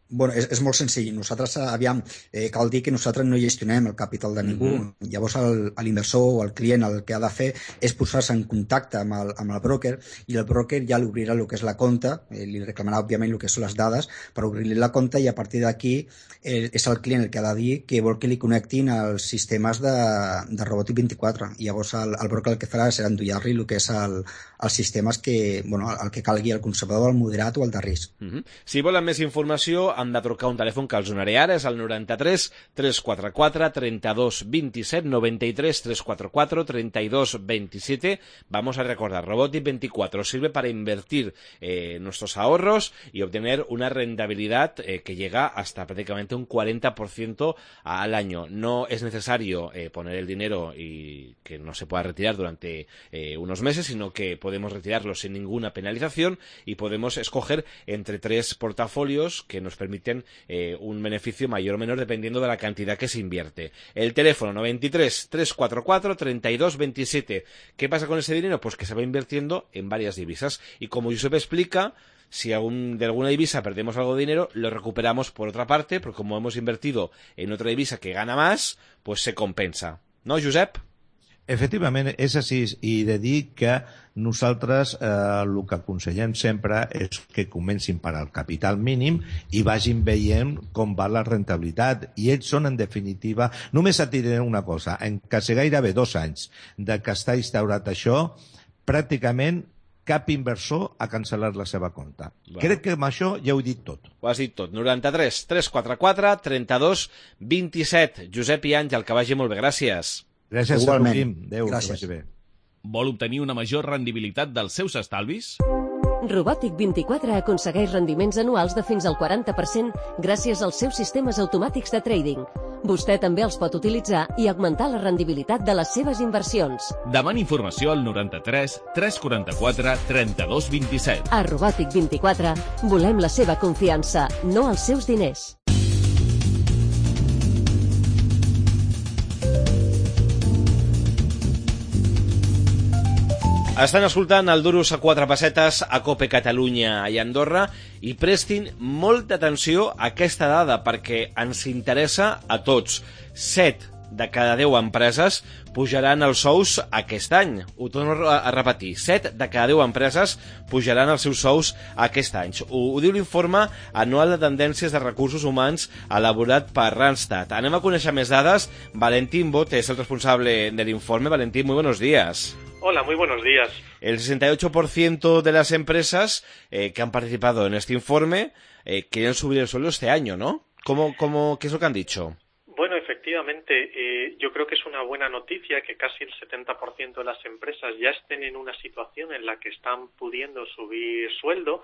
Bueno, és, és molt senzill. Nosaltres, aviam, eh, cal dir que nosaltres no gestionem el capital de ningú. Mm-hmm. Llavors, l'inversor o el client el que ha de fer és posar-se en contacte amb el, amb el broker i el broker ja li obrirà el que és la compta, eh, li reclamarà, òbviament, el que són les dades per obrir-li la compta i a partir d'aquí eh, és el client el que ha de dir que vol que li connectin els sistemes de, de Robòtic vint-i-quatre. I llavors, el, el broker el que farà serà endollar-li el que és el, els sistemes que, bueno, el que calgui, el conservador, el moderat o el de risc. Mm-hmm. Si volen més informació, han de trucar un telèfon que els donaré ara, és el noranta-tres tres quatre quatre trenta-dos vint-i-set noranta-tres tres quatre quatre trenta-dos vint-i-set. Vamos a recordar, Robòtic veinticuatro sirve para invertir eh, nuestros ahorros y obtener una rentabilidad eh, que llega hasta prácticamente un cuarenta por ciento al año. No es necesario eh, poner el dinero y que no se pueda retirar durante eh, unos meses, sino que podemos retirarlo sin ninguna penalización y podemos escoger entre tres portafolios que nos permiten permiten eh, un beneficio mayor o menor dependiendo de la cantidad que se invierte. El teléfono noventa y tres, trescientos cuarenta y cuatro, treinta y dos veintisiete. ¿Qué pasa con ese dinero? Pues que se va invirtiendo en varias divisas. Y como Josep explica, si algún, de alguna divisa perdemos algo de dinero, lo recuperamos por otra parte, porque como hemos invertido en otra divisa que gana más, pues se compensa. ¿No, Josep? Efectivament, és així, i de dir que nosaltres eh, el que aconsellem sempre és que comencin per al capital mínim i vagin veient com va la rentabilitat. I ells són, en definitiva, només et diré una cosa, en quasi gairebé dos anys de que està instaurat això, pràcticament cap inversor ha cancel·lat la seva compta. Bueno. Crec que amb això ja ho he dit tot. Ho has dit tot. noranta-tres, tres cents quaranta-quatre, trenta-dos, vint-i-set. Josep i Àngel, que vagi molt bé. Gràcies. Gràcies Igualment. a tu, Quim. Adéu, Gràcies. que vagi bé. Vol obtenir una major rendibilitat dels seus estalvis? Robòtic vint-i-quatre aconsegueix rendiments anuals de fins al quaranta per cent gràcies als seus sistemes automàtics de trading. Vostè també els pot utilitzar i augmentar la rendibilitat de les seves inversions. Demani informació al noranta-tres, tres cents quaranta-quatre, trenta-dos, vint-i-set. A Robòtic vint-i-quatre volem la seva confiança, no els seus diners. Estan escoltant el Duros a quatre pessetes a Cope Catalunya i Andorra i prestin molta atenció a aquesta dada perquè ens interessa a tots. set de cada deu empreses pujaran els sous aquest any. Ho torno a repetir. set de cada deu empreses pujaran els seus sous aquest any. Ho, ho diu l'informe anual de tendències de recursos humans elaborat per Randstad. Anem a conèixer més dades. Valentín Bot és el responsable de l'informe. Valentín, muy buenos días. Hola, muy buenos días. El sesenta y ocho por ciento de las empresas eh, que han participado en este informe eh, quieren subir el sueldo este año, ¿no? ¿Cómo, cómo, ¿Qué es lo que han dicho? Bueno, efectivamente, eh, yo creo que es una buena noticia que casi el setenta por ciento de las empresas ya estén en una situación en la que están pudiendo subir sueldo,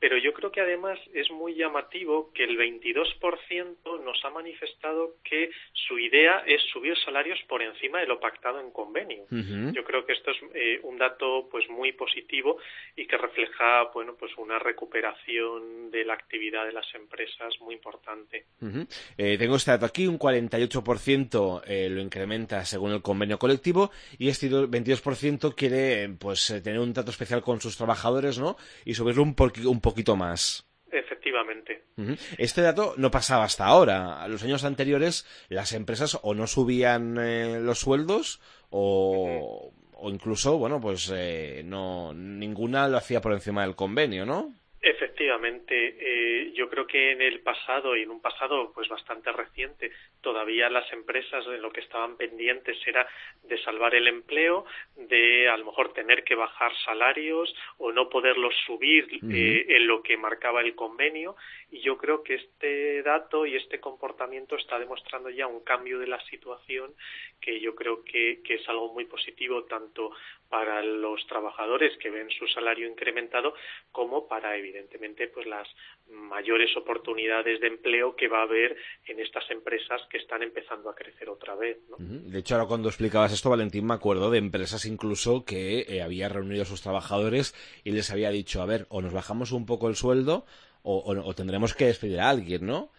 pero yo creo que además es muy llamativo que el veintidós por ciento nos ha manifestado que su idea es subir salarios por encima de lo pactado en convenio. Uh-huh. Yo creo que esto es eh, un dato pues muy positivo y que refleja bueno pues una recuperación de la actividad de las empresas muy importante. Uh-huh. Eh, tengo este dato aquí, un cuarenta y ocho por ciento eh, lo incrementa según el convenio colectivo y este veintidós por ciento quiere pues tener un trato especial con sus trabajadores, ¿no? Y subirlo un, por, un poquito más. Efectivamente. Uh-huh. Este dato no pasaba hasta ahora. A los años anteriores las empresas o no subían eh, los sueldos o, uh-huh. o incluso, bueno, pues eh, no ninguna lo hacía por encima del convenio, ¿no? Efectivamente, eh, yo creo que en el pasado y en un pasado pues bastante reciente todavía las empresas en lo que estaban pendientes era de salvar el empleo, de a lo mejor tener que bajar salarios o no poderlos subir uh-huh. eh, en lo que marcaba el convenio, y yo creo que este dato y este comportamiento está demostrando ya un cambio de la situación que yo creo que, que es algo muy positivo tanto para los trabajadores que ven su salario incrementado como para evidentemente pues las mayores oportunidades de empleo que va a haber en estas empresas que están empezando a crecer otra vez, ¿no? De hecho, ahora cuando explicabas esto, Valentín, me acuerdo de empresas incluso que eh, había reunido a sus trabajadores y les había dicho, a ver, o nos bajamos un poco el sueldo o, o, o tendremos que despedir a alguien, ¿no?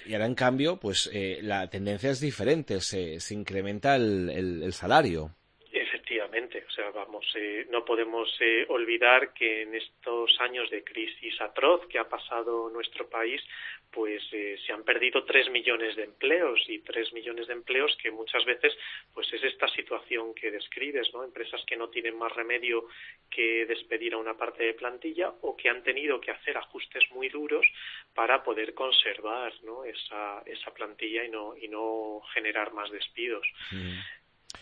Y ahora, en cambio, pues eh, la tendencia es diferente, se, se incrementa el, el, el salario. Efectivamente, o sea, vamos, eh, no podemos eh, olvidar que en estos años de crisis atroz que ha pasado nuestro país, pues eh, se han perdido tres millones de empleos y tres millones de empleos que muchas veces, pues es esta situación que describes, ¿no? Empresas que no tienen más remedio que despedir a una parte de plantilla o que han tenido que hacer ajustes muy duros para poder conservar, ¿no? esa esa plantilla y no y no generar más despidos. Mm.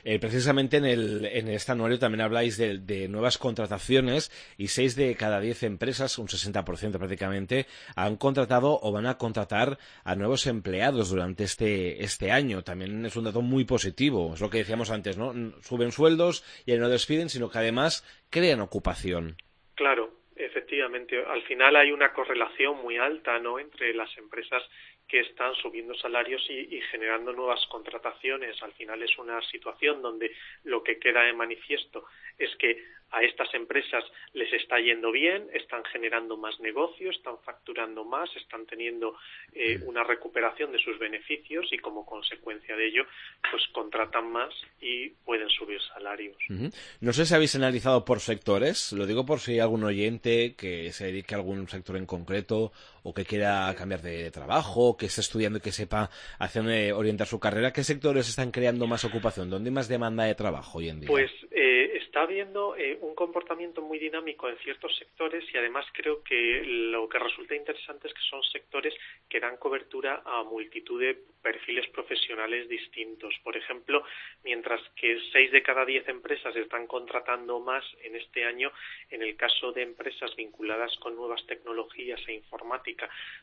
Eh, precisamente en, el, en este anuario también habláis de, de nuevas contrataciones y seis de cada diez empresas, un sesenta por ciento prácticamente, han contratado o van a contratar a nuevos empleados durante este, este año. También es un dato muy positivo, es lo que decíamos antes, ¿no? Suben sueldos y no despiden, sino que además crean ocupación. Claro, efectivamente. Al final hay una correlación muy alta, ¿no?, entre las empresas que están subiendo salarios y, y generando nuevas contrataciones. Al final es una situación donde lo que queda de manifiesto es que a estas empresas les está yendo bien, están generando más negocio, están facturando más, están teniendo eh, una recuperación de sus beneficios y como consecuencia de ello pues contratan más y pueden subir salarios. Uh-huh. No sé si habéis analizado por sectores, lo digo por si hay algún oyente que se dedique a algún sector en concreto o que quiera cambiar de trabajo, que esté estudiando y que sepa hacia dónde orientar su carrera. ¿Qué sectores están creando más ocupación? ¿Dónde hay más demanda de trabajo hoy en día? Pues eh, está habiendo eh, un comportamiento muy dinámico en ciertos sectores y además creo que lo que resulta interesante es que son sectores que dan cobertura a multitud de perfiles profesionales distintos. Por ejemplo, mientras que seis de cada diez empresas están contratando más en este año, en el caso de empresas vinculadas con nuevas tecnologías e informática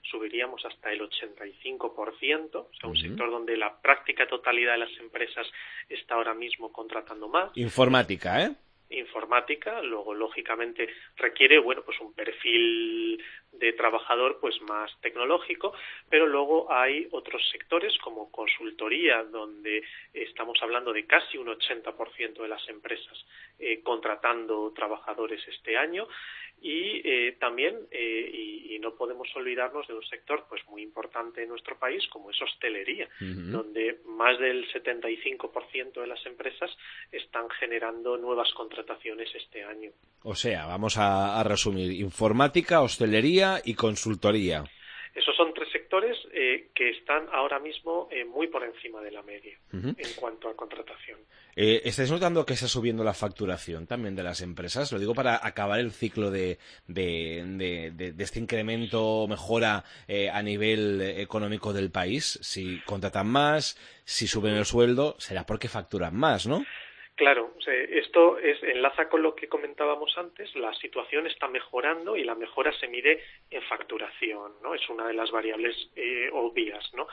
subiríamos hasta el ochenta y cinco por ciento, o sea, un uh-huh. sector donde la práctica totalidad de las empresas está ahora mismo contratando más. Informática, ¿eh? Informática, luego lógicamente requiere, bueno, pues un perfil de trabajador pues más tecnológico, pero luego hay otros sectores como consultoría, donde estamos hablando de casi un ochenta por ciento de las empresas eh, contratando trabajadores este año. Y eh, también, eh, y, y no podemos olvidarnos de un sector pues muy importante en nuestro país como es hostelería, uh-huh. donde más del setenta y cinco por ciento de las empresas están generando nuevas contrataciones este año. O sea, vamos a, a resumir, informática, hostelería y consultoría. Esos son tres sectores eh, que están ahora mismo eh, muy por encima de la media uh-huh. en cuanto a contratación. Eh, ¿Estáis notando que está subiendo la facturación también de las empresas? Lo digo para acabar el ciclo de, de, de, de, de este incremento, mejora eh, a nivel económico del país. Si contratan más, si suben el sueldo, será porque facturan más, ¿no? Claro, esto es, enlaza con lo que comentábamos antes, la situación está mejorando y la mejora se mide en facturación, ¿no? Es una de las variables eh, obvias, ¿no?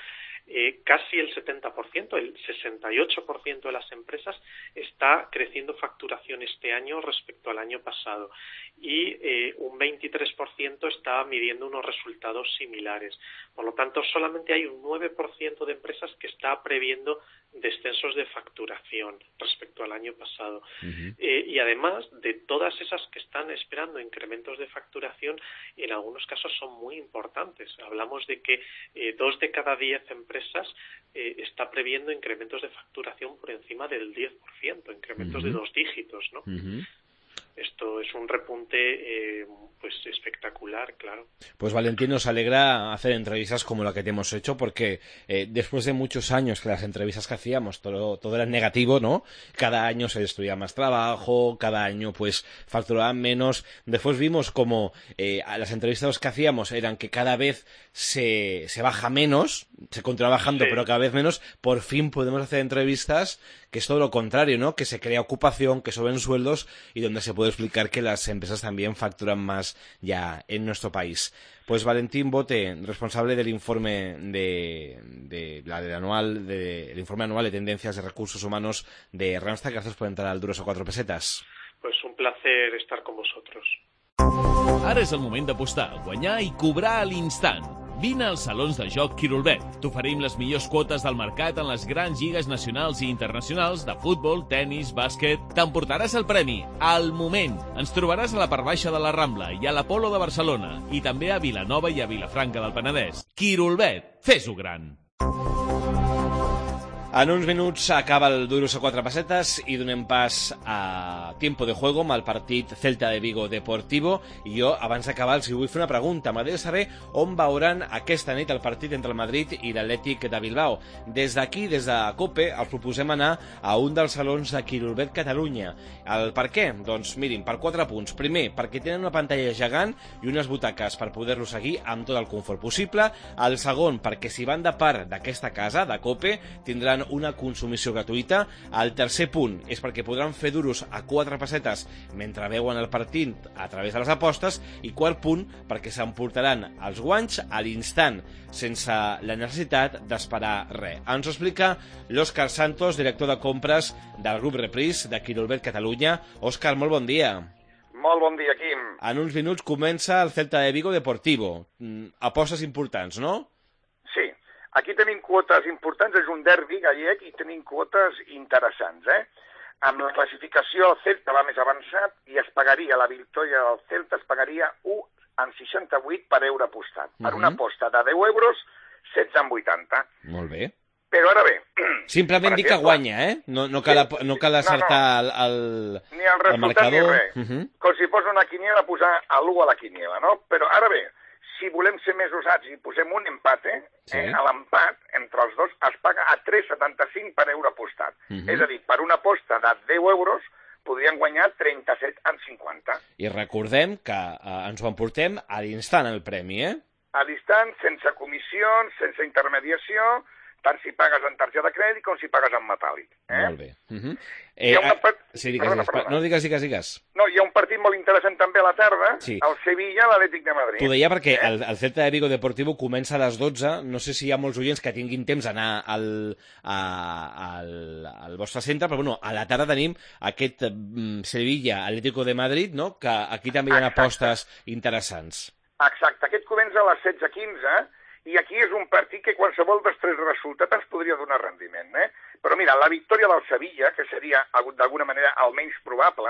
Eh, casi el setenta por ciento, el sesenta y ocho por ciento de las empresas está creciendo facturación este año respecto al año pasado y eh, un veintitrés por ciento está midiendo unos resultados similares. Por lo tanto, solamente hay un nueve por ciento de empresas que está previendo descensos de facturación respecto al año pasado. Uh-huh. Eh, y además de todas esas que están esperando incrementos de facturación, en algunos casos son muy importantes. Hablamos de que eh, dos de cada diez empresas eh, está previendo incrementos de facturación por encima del diez por ciento, incrementos uh-huh. de dos dígitos, ¿no? Uh-huh. Esto es un repunte eh, pues espectacular, claro. Pues Valentín, nos alegra hacer entrevistas como la que te hemos hecho, porque eh, después de muchos años que las entrevistas que hacíamos todo, todo era negativo, ¿no? Cada año se destruía más trabajo, cada año pues facturaban menos. Después vimos como eh, las entrevistas que hacíamos eran que cada vez se, se baja menos, se continúa bajando, sí. pero cada vez menos. Por fin podemos hacer entrevistas que es todo lo contrario, ¿no? Que se crea ocupación, que suben sueldos y donde se puede explicar que las empresas también facturan más ya en nuestro país. Pues Valentín Bote, responsable del informe de, de la del anual, de, el informe anual de tendencias de recursos humanos de Randstad, gracias por entrar al Duros a Cuatro Pesetas. Pues un placer estar con vosotros. Ara és el moment d'apostar, guanyar i cobrar a l'instant. Vine als salons de joc Quirolbet. T'oferim les millors quotes del mercat en les grans lligues nacionals i internacionals de futbol, tennis, bàsquet. T'emportaràs el premi al moment. Ens trobaràs a la part baixa de la Rambla i a l'Apolo de Barcelona i també a Vilanova i a Vilafranca del Penedès. Quirolbet, fes-ho gran. En uns minuts acaba el Duros a Quatre Pessetes i donem pas a Tiempo de Juego amb el partit Celta de Vigo Deportivo. I jo, abans d'acabar, els vull fer una pregunta. M'agradaria saber on veuran aquesta nit el partit entre el Madrid i l'Atlètic de Bilbao. Des d'aquí, des de COPE, els proposem anar a un dels salons de Quirolbet Catalunya. El per què? Doncs mirin, per quatre punts. Primer, perquè tenen una pantalla gegant i unes butaques per poder-lo seguir amb tot el confort possible. El segon, perquè si van de part d'aquesta casa, de COPE, tindran una consumició gratuïta. El tercer punt és perquè podran fer duros a quatre pessetes mentre veuen el partit a través de les apostes. I quart punt, perquè s'emportaran els guanys a l'instant, sense la necessitat d'esperar res. Ens ho explica l'Òscar Santos, director de compres del grup Reprise de Quirolbet Catalunya. Òscar, molt bon dia. Molt bon dia, Quim. En uns minuts comença el Celta de Vigo Deportivo. Apostes importants, no? Aquí tenim quotes importants, és un derbi gallec i tenim quotes interessants, eh? Amb la classificació el Celta va més avançat i es pagaria, la victòria del Celta es pagaria u coma seixanta-vuit per euro apostat. Per una aposta de deu euros, setze coma vuitanta. Molt bé. Però ara bé... Simplement dir que guanya, eh? No, no cal, no cal acertar no, no. el, el, ni el resultat el marcador. Ni res. Uh -huh. Com si fos una quiniela posar l'u a la quiniela, no? Però ara bé, si volem ser més usats i posem un empate, sí. eh, l'empat entre els dos es paga a tres coma setanta-cinc per euro apostat. Uh -huh. És a dir, per una aposta de deu euros podrien guanyar trenta-set coma cinquanta. I recordem que eh, ens ho emportem a l'instant el premi, eh? A l'instant, sense comissions, sense intermediació, tant si pagues en targeta de crèdit com si pagues en metàl·lic. Eh? Molt bé. Uh -huh. eh, una part... sí, digues, perdona, perdona. No, digues, digues, digues. No, hi ha un partit molt interessant també a la tarda, sí. El Sevilla, l'Atlètic de Madrid. T'ho deia perquè eh? el, el Celta de Vigo Deportivo comença a les dotze, no sé si hi ha molts oients que tinguin temps d'anar al, a, al, al vostre centre, però bueno, a la tarda tenim aquest um, Sevilla, Atlético de Madrid, no? Que aquí també hi ha Exacte. apostes interessants. Exacte, aquest comença a les setze quinze, i aquí és un partit que qualsevol dels tres resultats ens podria donar rendiment, eh? Però mira, la victòria del Sevilla, que seria d'alguna manera el menys probable,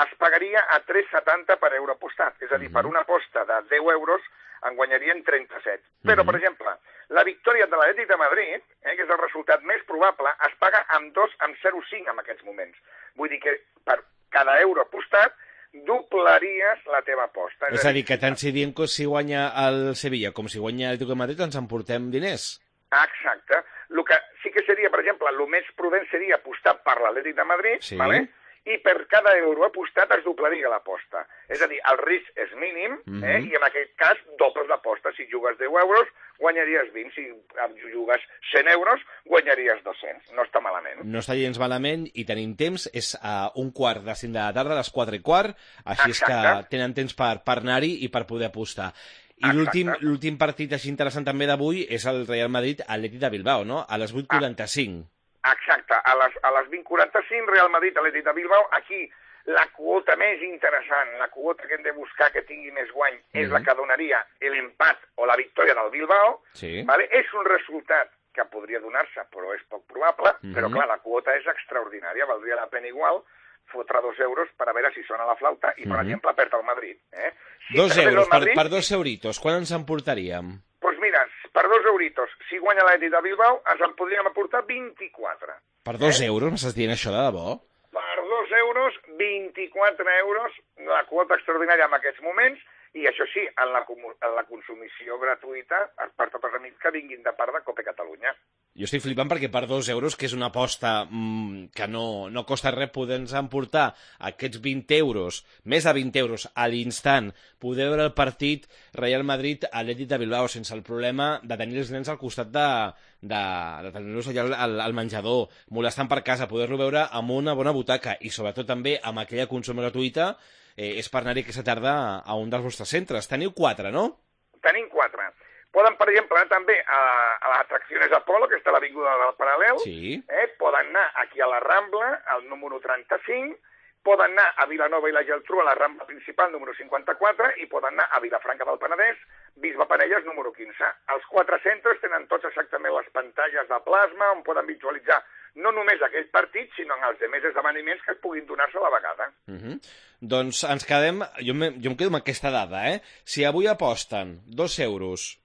es pagaria a tres coma setanta per euro apostat. És a dir, uh -huh. per una aposta de deu euros en guanyarien trenta-set. Però, uh -huh. per exemple, la victòria de l'Atlètic de Madrid, eh, que és el resultat més probable, es paga amb dos coma zero cinc en aquests moments. Vull dir que per cada euro apostat doblaries la teva aposta. És a dir, que tant si diem que si guanya el Sevilla com si guanya l'Atlético de Madrid ens emportem diners. Exacte. El que sí que seria, per exemple, el més prudent seria apostar per l'Atlètic de Madrid, sí. ¿vale? I per cada euro apostat es doblaria l'aposta. És a dir, el risc és mínim, eh? Mm-hmm. I en aquest cas dobles l'aposta. Si jugues deu euros, guanyaries vint. Si jugues cent euros, guanyaries dos-cents. No està malament. No està gens malament i tenim temps. És a un quart de cinc de la tarda, a les quatre i quart. Així Exacte. És que tenen temps per, per anar-hi i per poder apostar. I l'últim partit així interessant també d'avui és el Real Madrid-Atlètic de Bilbao, no? A les vuit quaranta-cinc. Exacte, a les, a les vint quaranta-cinc, Real Madrid, Atlètic de Bilbao, aquí la quota més interessant, la quota que hem de buscar que tingui més guany, mm-hmm. és la que donaria l'empat o la victòria del Bilbao, sí. ¿vale? És un resultat que podria donar-se, però és poc probable, mm-hmm. però clar, la quota és extraordinària, valdria la pena igual fotre dos euros per a veure si sona la flauta i, per mm-hmm. exemple, perd el Madrid. Eh? Si dos euros, Madrid, per, per dos euritos, quan ens emportaríem? Doncs pues mira, per dos euritos, si guanya l'Atlètic de Bilbao, ens en podríem aportar vint-i-quatre. Per dos eh? euros? M'estàs dient això de debò? Per dos euros, vint-i-quatre euros, la quota extraordinària en aquests moments, i això sí, en la, en la consumició gratuïta per tots els amics que vinguin de part de Cope Catalunya. Jo estic flipant perquè per dos euros, que és una aposta mmm, que no, no costa res poder-nos emportar aquests vint euros, més de vint euros a l'instant, poder veure el partit Real Madrid-Atlètic de Bilbao sense el problema de tenir els nens al costat de, de, de tenir-los allà al, al menjador, molestant per casa, poder-lo veure amb una bona butaca i sobretot també amb aquella consum gratuïta, eh, és per anar-hi aquesta tarda a un dels vostres centres. Teniu quatre, no? Tenim quatre. Poden, per exemple, anar també a, a les atraccions Apolo, que està a l'Avinguda del Paral·lel. Sí. Eh? Poden anar aquí a la Rambla, al número trenta-cinc. Poden anar a Vilanova i la Geltrú, a la Rambla principal, número cinquanta-quatre. I poden anar a Vilafranca del Penedès, Bisbe Parelles, número quinze. Els quatre centres tenen tots exactament les pantalles de plasma on poden visualitzar no només aquell partit, sinó en els demés esdeveniments que es puguin donar-se a la vegada. Uh -huh. Doncs ens quedem... Jo, me, jo em quedo amb aquesta dada, eh? Si avui aposten dos euros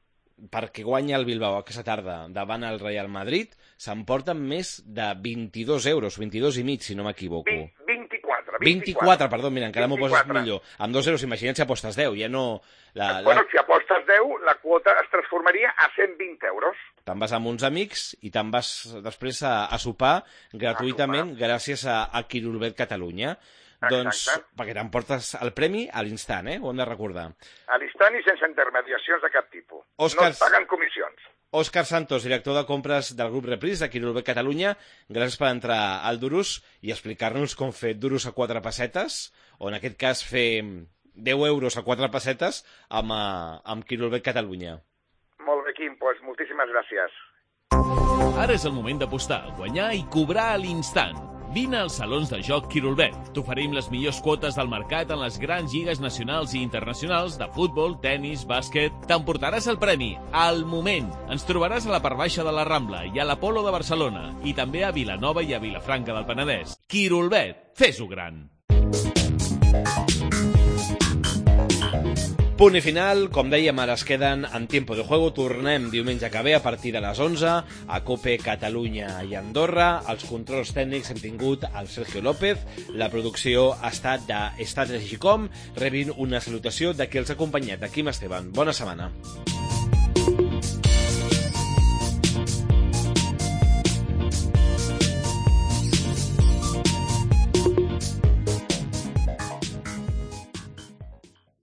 perquè guanya el Bilbao aquesta tarda davant el Real Madrid, s'emporten més de vint-i-dos euros, vint-i-dos i mig, si no m'equivoco. vint-i-quatre. vint-i-quatre, perdó, mira, encara m'ho poses millor. Amb dos euros, imagina't si apostes deu, ja no... La, bueno, la... si apostes deu, la quota es transformaria a cent vint euros. Te'n vas amb uns amics i te'n vas després a, a sopar gratuïtament a sopar. Gràcies a, a Quirolbet Catalunya. Exacte. Doncs perquè t'emportes el premi a l'instant, eh? Ho hem de recordar. A l'instant i sense intermediacions de cap tipus. Òscar... No es paguen comissions. Òscar Santos, director de compres del grup Repris de Quirolbet Catalunya, gràcies per entrar al Durus i explicar-nos com fer Durus a quatre pessetes, o en aquest cas fer deu euros a quatre pessetes amb, amb Quirolbet Catalunya. Molt bé, Quim, doncs moltíssimes gràcies. Ara és el moment d'apostar, guanyar i cobrar a l'instant. Vine als salons de joc Quirolbet. T'oferim les millors quotes del mercat en les grans lligues nacionals i internacionals de futbol, tennis, bàsquet. T'emportaràs el premi al moment. Ens trobaràs a la part baixa de la Rambla i a l'Apolo de Barcelona i també a Vilanova i a Vilafranca del Penedès. Quirolbet, fes-ho gran. Punt i final, com dèiem, ara es queden en Tiempo de Juego. Tornem diumenge que ve a partir de les onze a COPE Catalunya i Andorra. Els controls tècnics hem tingut el Sergio López. La producció ha estat de Strategy.com. Rebin una salutació de qui els ha acompanyat, de Quim Esteban. Bona setmana.